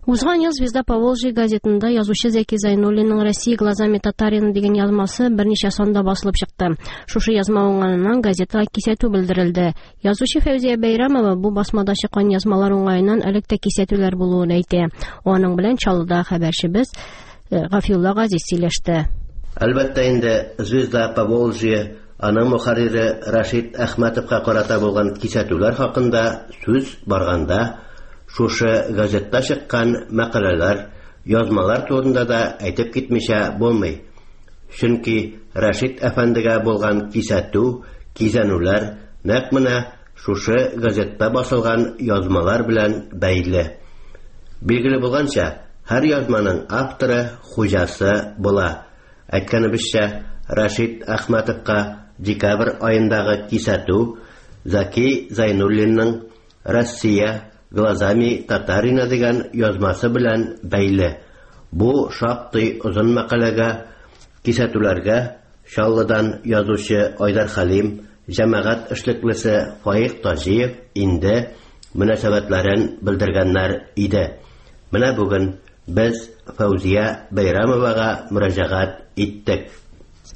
Узган ел «Звезда Поволжья» газетында язучы Зәки Зайнуллинның «Россия глазами татарина» дигән язмасы берничә санда басылып чыкты. Шушы язма уңаеннан газетага кисәтү белдерелде. Язучы Фәүзия Бәйрәмова бу басмада чыккан язмалар уңаеннан элек тә кисәтүләр булуын әйтә. Аның белән Чаллыда хәбәрчебез э, Гафиулла Газиз сөйләште. Әлбәттә инде, «Звезда Поволжья» аның мөхәррире Рашид Әхмәтовка карата булган кисәтүләр хакында сүз барганда, шушы газетта чыккан мәкаләләр, язмалар турында да әйтеп китмичә булмый. Чөнки Рашид әфәндегә булган кисәтү, кизәнүләр нәкъ менә шушы газетта басылган язмалар белән бәйле. Билгеле булганча, һәр язманың авторы, хуҗасы була. Әйткәнебезчә, Рашид Әхмәтовка декабрь аендагы кисәтү Зәки Зайнуллинның Россия глазами татарина дигән язмасы белән бәйле. Бу шактый озын мәкаләгә, кисәтүләргә Чаллыдан язучы Айдар Хәлим, җәмәгать эшлеклесе Фаик Таҗиев инде мөнәсәбәтләрен белдергәннәр иде. Менә бүген без Фәүзия Бәйрәмовага мөрәҗәгать иттек.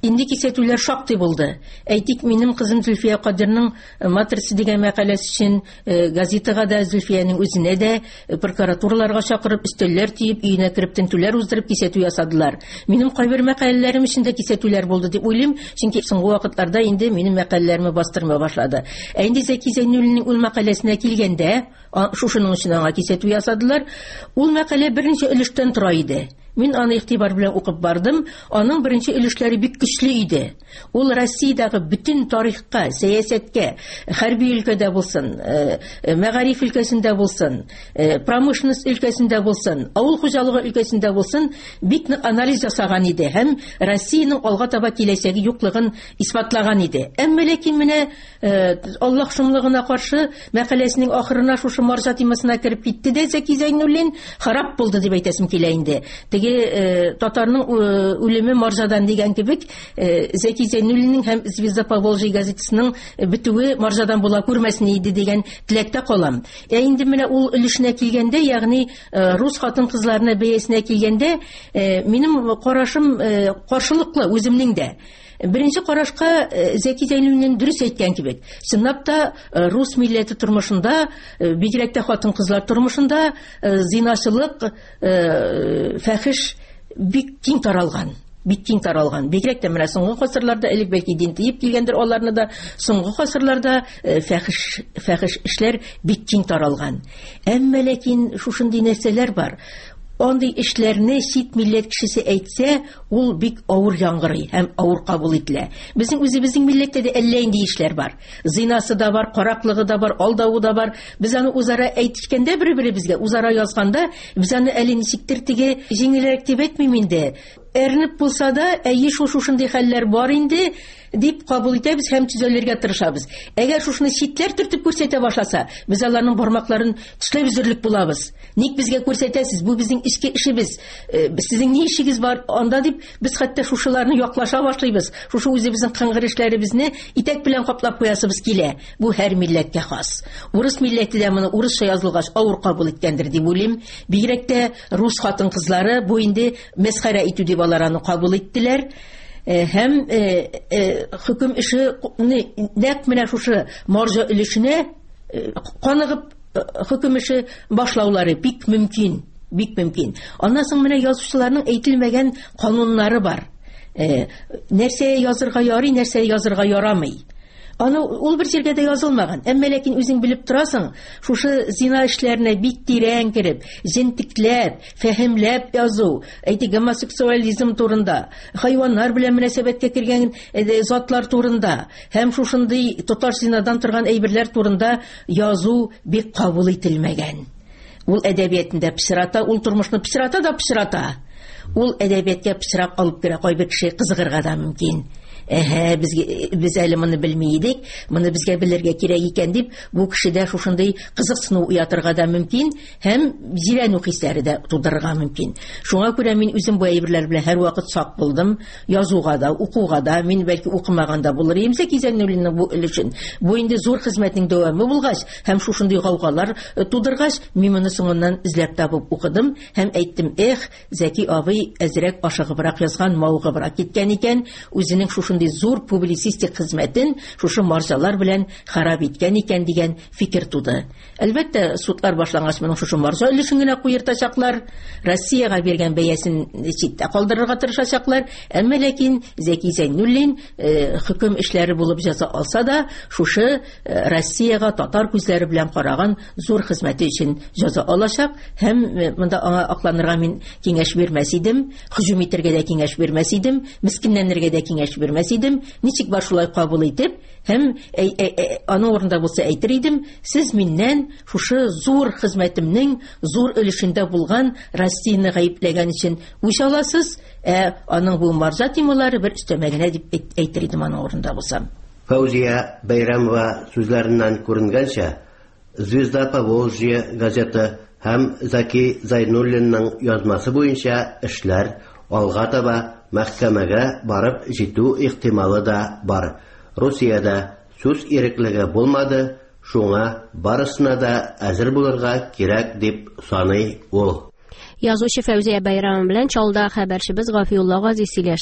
Инде кисәтүләр шактый булды. Әйтик, минем кызым Зөлфия Кадирның э, «Матрица» дигән мәкаләсе өчен э, газетага да, Зөлфиянең үзенә дә э, прокуратураларга чакырып, өстәлләр төеп, өенә кереп тентүләр уздырып кисәтү ясадылар. Минем кайбер мәкаләләрем өчен дә кисәтүләр булды дип уйлыйм, чөнки соңгы вакытларда инде минем мәкаләләремне бастырмый башлады. Ә инде Зәки Зәйнуллинның ул мәкаләсенә килгәндә, шушының өчен аңа кисәтү ясадылар. Ул мәкалә берничә өлештән тора иде. Мин аны игътибар белән укып бардым. Аның беренче өлешләре бик көчле иде. Ул Россиядәге бөтен тарихка, сәясәткә, хәрби өлкәдә булсын, э, э, мәгариф өлкәсендә булсын, э, промышленность өлкәсендә булсын, авыл хуҗалыгы өлкәсендә булсын, бик нык анализ ясаган иде һәм Россиянең алга таба киләчәге юклыгын исбатлаган иде. Әмма ләкин менә Аллаһ шомлыгына каршы мәкаләсенең ахырына шушы марҗа темасына кереп китте дә Зәки Зәйнуллин харап булды дип әйтәсем килә инде. Теге э, татарның э, үлеме марҗадан дигән кебек, Зәки Зәйнуллинның һәм Звезда Поволжья газетасының бетүе марҗадан була күрмәсен иде дигән теләктә калам. Ә инде менә ул өлешенә килгәндә, ягъни рус хатын-кызларына бәясенә килгәндә, минем карашым каршылыклы үземнең дә. Беренче карашка э, Зәки Зәйнуллин дөрес әйткән кебек. Чынлап та э, рус милләте тормышында, э, бигрәк тә хатын-кызлар тормышында зиначылык, фәхиш бик киң таралган бик киң таралган. Бигрәк тә менә соңгы гасырларда, элек бәлки дин тиеп килгәндер аларны да, соңгы гасырларда фәхиш фәхиш эшләр бик киң таралган. Әмма ләкин шушындый нәрсәләр бар. Андый эшләрне чит милләт кешесе әйтсә, ул бик авыр яңгырый һәм авыр кабул ителә. Безнең үзебезнең милләттә дә әллә инде эшләр бар. Зинасы да бар, караклыгы да бар, алдавы да бар. Без аны үзара әйтешкәндә бер-беребезгә, үзара язганда, без аны әле ничектер теге җиңелрәк дип әйтмим инде. Әрнеп булса да, әйе, шул шушындый хәлләр бар инде, дип кабул итәбез һәм төзәлергә тырышабыз. Әгәр шушыны читләр төртеп күрсәтә башласа, без аларның бармакларын тешләп өзерлек булабыз. Ник безгә күрсәтәсез? Бу безнең эчке эшебез. Э, сезнең ни эшегез бар анда дип, без хәтта шушыларны яклаша башлыйбыз. Шушы үзебезнең кыңгыр эшләребезне итәк белән каплап куясыбыз килә. Бу һәр милләткә хас. Урыс милләте дә моны урысча язылгач авыр кабул иткәндер дип уйлыйм. Бигрәк тә рус хатын-кызлары бу инде мәсхәрә итү дип алар аны кабул иттеләр. Э, һәм э, э, хөкем эше нәкъ менә шушы маржа өлешенә каныгып хөкем эше башлаулары бик мөмкин, бик мөмкин. Аннан соң менә язучыларның әйтелмәгән кануннары бар. Нәрсә язырга ярый, нәрсә язырга ярамый. Аны ул бер җиргә дә язылмаган. Әмма ләкин үзең белеп торасың, шушы зина эшләренә бик тирән кереп, җентекләп, фәһемләп язу, әйтик, гомосексуализм турында, хайваннар белән мөнәсәбәткә кергән э, затлар турында һәм шушындый тоташ зинадан торган әйберләр турында язу бик кабул ителмәгән. Ул әдәбиятында пычрата, ул тормышны пычрата да пычрата. Ул әдәбиятка пычрак алып керә, кайбер кеше кызыгырга да мөмкин. Әһә, безгә без әле моны белми идек, моны безгә белергә кирәк икән дип, бу кешедә шушындый кызыксыну уятырга да мөмкин һәм җирәнү хисләре дә тудырырга мөмкин. Шуңа күрә мин үзем бу әйберләр белән һәрвакыт сак булдым. Язуга да, укуга да, мин бәлки укымаган да булыр идем Зәки Зәйнуллинның бу өлешен. Бу инде зур хезмәтнең дәвамы булгач һәм шушындый гаугалар тудыргач, мин моны соңыннан эзләп табып укыдым һәм әйттем, эх, Зәки абый әзрәк ашыгыбрак язган, мавыгыбрак киткән икән, үзенең шушындый зур публицистик хезмәтен шушы марҗалар белән харап иткән икән дигән фикер туды. Әлбәттә, судлар башлангач, моның шушы марҗа өлешен генә куертачаклар, Россиягә биргән бәясен читтә калдырырга тырышачаклар, әмма ләкин Зәки Зәйнуллин хөкем эшләре булып җәза алса да, шушы Россиягә татар күзләре белән караган зур хезмәте өчен җәза алачак һәм монда аңа акланырга мин киңәш бирмәс идем, һөҗүм итәргә дә киңәш бирмәс идем, мескенләнергә дә киңәш бирмәс идем. Ничек бар шулай кабул итеп һәм аның урында булса әйтер идем, сез миннән шушы зур хезмәтемнең зур өлешендә булган Россияне гаепләгән өчен үч аласыз, ә аның бу марҗа темалары бер өстәмә генә дип әйтер идем аның урында булсам. Фәүзия Бәйрәмова сүзләреннән күренгәнчә, Звезда Поволжья газеты һәм Зәки Зәйнуллинның язмасы буенча эшләр алга таба мәхкәмәгә барып җитү ихтималы да бар. Русиядә сүз иреклеге булмады, шуңа барысына да әзер булырга кирәк дип саный ул. Язучы Фәүзия Бәйрәмова белән Чаллыда хәбәрчебез Гафиулла Газиз сөйләште.